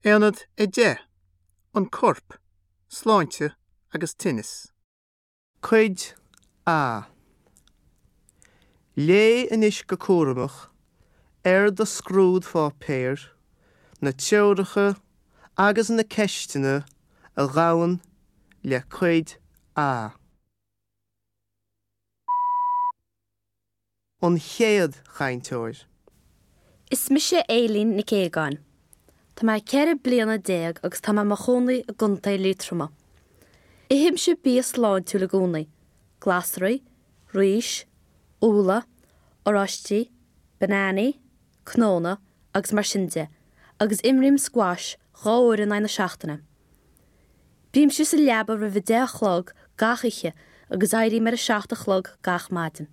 Aonad 10, An Corp, Sláinte agus Tinneas. Cuid A. Léigh anois go cúramach ar do scrúdpháipéar na treoracha agus na ceisteanna a ghabhann le Cuid A. An chéad chainteoir. Is mise Aileen Nic Aogáin. Tá mé 14 bliana agus tá mé i mo chónaí i gContae Liatroma. Ithimse bia sláintiúil i gcónaí, glasraí, rís, úlla, oráistí, bananaí, cnónna agus mar sin de, agus imrím squash 2 uair in aghaidh na seachtaine. Bímse sa leaba roimh a 10 a chlog gach oíche agus éirím ar a 7 a chlog gach maidin.